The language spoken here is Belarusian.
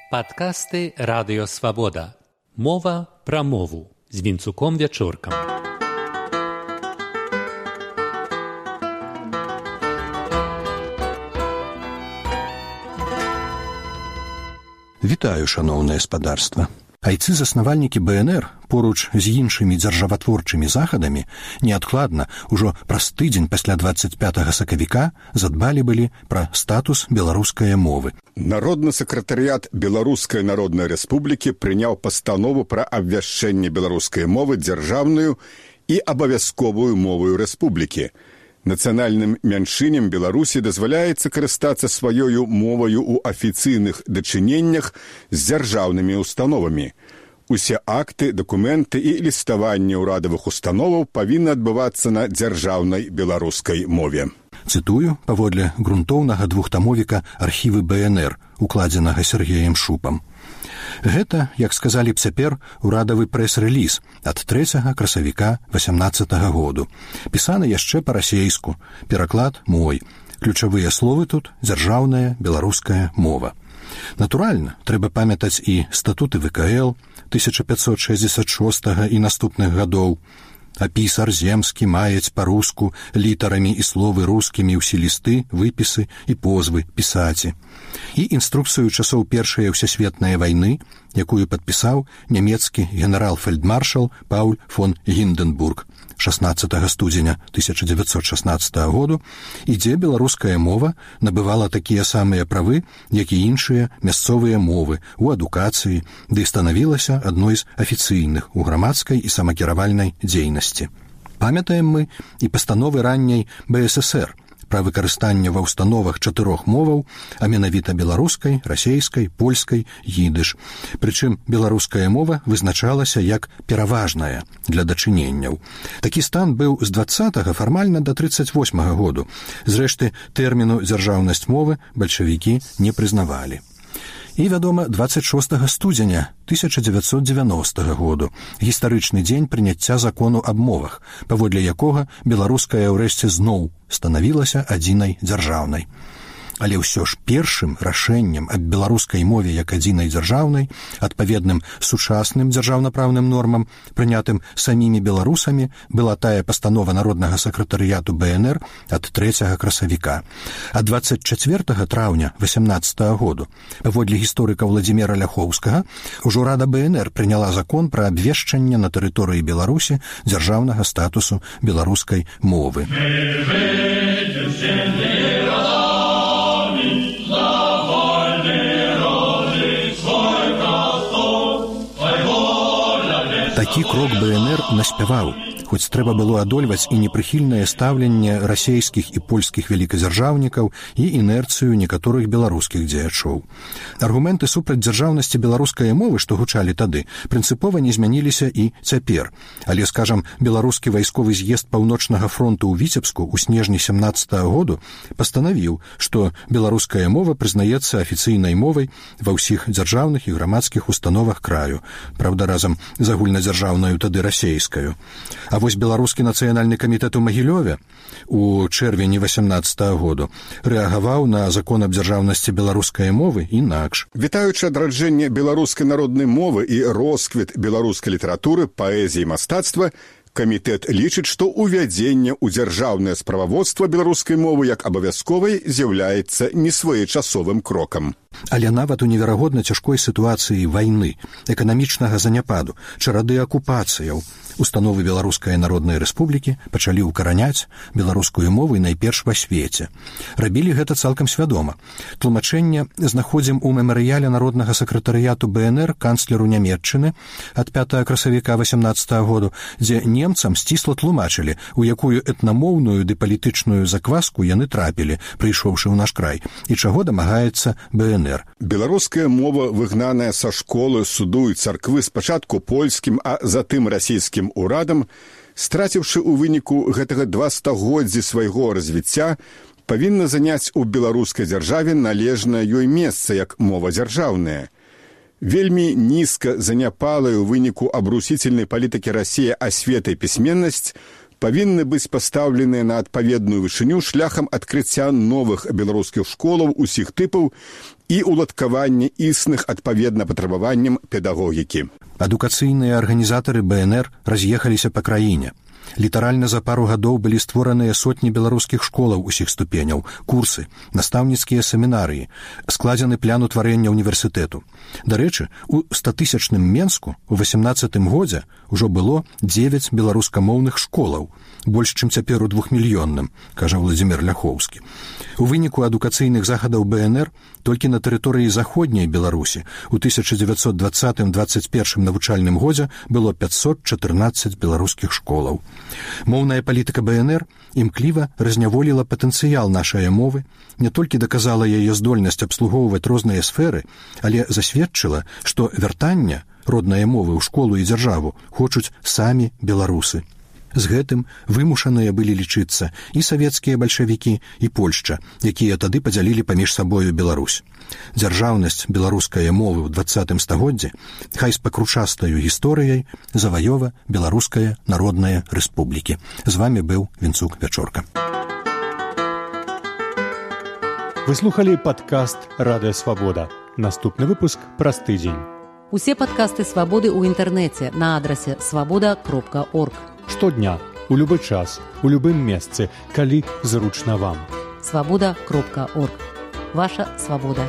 Падкасты Радыё Свабода. Мова пра мову з Вінцуком Вячоркам. Вітаю, шаноўнае спадарства. Айцы-заснавальнікі БНР поруч з іншымі дзяржаватворчымі захадамі неадкладна ўжо праз тыдзень пасля 25 сакавіка задбалі былі пра статус беларускай мовы. Народны сакратарыят Беларускай Народнай Рэспублікі прыняў пастанову пра абвяшчэнне беларускай мовы дзяржаўную і абавязковую моваю рэспублікі. Нацыянальным мяншыням Беларусі дазваляецца карыстацца сваёю моваю ў афіцыйных дачыненнях з дзяржаўнымі установамі. Усе акты, дакументы і ліставанне ўрадавых установаў павінны адбывацца на дзяржаўнай беларускай мове. Цытую паводле грунтоўнага двухтамовіка архівы БНР, укладзенага Сергеем Шупам. Гэта, як сказалі б цяпер, урадавы прэс-рэліз ад 3 красавіка 18 году. Пісаны яшчэ па-расейску, пераклад мой. Ключавыя словы тут дзяржаўная беларуская мова. Натуральна, трэба памятаць і статуты ВКЛ 1566 і наступных гадоў. Апіс арземскі маюць па-руску літарамі і словы рускімі ўсе лісты, выпісы і позвы пісаці. І інструкцыю часоў Першай ўсесветнай вайны, якую падпісаў нямецкі генерал-фельдмаршал Пауль фон Гінденбург 16 студзеня 1916 году, і дзе беларуская мова набывала такія самыя правы, як і іншыя мясцовыя мовы у адукацыі, ды станавілася адной з афіцыйных у грамадскай і самакіравальнай дзейнасці. Памятаем мы і пастановы ранняй БССР пра выкарыстанне ва ўстановах 4 моваў, а менавіта беларускай, расейскай, польскай, ідыш. Прычым беларуская мова вызначалася як пераважная для дачыненняў. Такі стан быў з 20-го фармальна да 38-го году. Зрэшты, тэрміну дзяржаўнасць мовы бальшавікі не прызнавалі. І, вядома, 26 студзеня 1990 году, гістарычны дзень прыняцця закону аб мовах, паводле якога беларуская ўрэшце зноў станавілася адзінай дзяржаўнай. Але ўсё ж першым рашэннем аб беларускай мове як адзінай дзяржаўнай, адпаведным сучасным дзяржаўнапраўным нормам, прынятым самімі беларусамі, была тая пастанова Народнага сакратарыяту БНР ад 3 красавіка. А 24 траўня 18 году, паводле гісторыка Владзіміра Ляхоўскага, ужо Рада БНР прыняла закон пра абвешчанне на тэрыторыі Беларусі дзяржаўнага статусу беларускай мовы. Такі крок БНР наспяваў, хоць трэба было адольваць і непрыхільнае стаўленне расейскіх і польскіх вялікадзяржаўнікаў і інерцыю некаторых беларускіх дзеячоў. Аргументы супраць дзяржаўнасці беларускай мовы, што гучалі тады, прынцыпова не змяніліся і цяпер. Але, скажам, беларускі вайсковы з'езд Паўночнага фронту ў Віцебску ў снежні 17 году пастанавіў, што беларуская мова прызнаецца афіцыйнай мовай ва ўсіх дзяржаўных і грамадскіх установах краю, правда, разам з агульнадзяржаўнаю тады расейскаю. А вось беларускі нацыянальны камітэт у Магілёве у чэрвені 18 году рэагаваў на закон аб дзяржаўнасці беларускай мовы інакш. Вітаючы адраджэнне беларускай народнай мовы і росквіт беларускай літаратуры, паэзіі і мастацтва, камітэт лічыць, што ўвядзенне ў дзяржаўнае справаводства беларускай мовы як абавязковай з'яўляецца несвоечасовым крокам. Але нават у неверагодна цяжкой сітуацыі вайны, эканамічнага заняпаду, чарады акупацыяў, установы Беларускай Народнай Рэспублікі пачалі ўкараняць беларускую мову найперш ва свеце. Рабілі гэта цалкам свядома. Тлумачэнне знаходзім у мемарыяле Народнага сакратарыяту БНР канцлеру Нямецчыны ад 5 красавіка 18 году, дзе немцам сцісла тлумачылі, у якую этнамоўную ды палітычную закваску яны трапілі, прыйшоўшы ў наш край, і чаго дамагаецца БНР. Беларуская мова, выгнаная са школы, суду і царквы спачатку польскім, а затым расійскім урадам, страціўшы ў выніку гэтага 2 стагоддзі свайго развіцця, павінна заняць у беларускай дзяржаве належнае ёй месца як мова дзяржаўная. Вельмі нізка заняпалая ў выніку абрусіцельнай палітыкі Расіі асвета і пісьменнасць павінны быць пастаўленыя на адпаведную вышыню шляхам адкрыцця новых беларускіх школаў усіх тыпаў і уладкавання існых адпаведна патрабаванням педагогікі. Адукацыйныя арганізатары БНР раз'ехаліся па краіне. Літаральна за пару гадоў былі створаныя сотні беларускіх школаў усіх ступеняў, курсы, настаўніцкія семінарыі, складзены план утварэння універсітэту. Дарэчы, у 100-тысячным Менску у 18 годзе ўжо было 9 беларускамоўных школаў, больш, чым цяпер у 2-мільённым, кажа Владзімір Ляхоўскі. У выніку адукацыйных захадаў БНР толькі на тэрыторыі заходняй Беларусі у 1920-21 навучальным годзе было 514 беларускіх школаў. Моўная палітыка БНР імкліва разняволіла патэнцыял нашай мовы, не толькі даказала яе здольнасць абслугоўваць розныя сферы, але засведчыла, што вяртання роднае мовы ў школу і дзяржаву хочуць самі беларусы. З гэтым вымушаныя былі лічыцца і савецкія бальшавікі, і Польшча, якія тады падзялілі паміж сабою Беларусь. Дзяржаўнасць беларускай мовы ў 20 стагоддзі хай з пакручастаю гісторыяй заваёва Беларуская народная рэспублікі. З вамі быў Вінцук Вячорка. Вы слухалі падкаст «Радыё Свабода». Наступны выпуск праз тыдзень. Усе падкасты «Свабоды» ў інтэрнэце на адрасе свабода.орг. Штодня, у любы час, у любым месцы, калі зручна вам. Свабода.орг. Ваша свабода.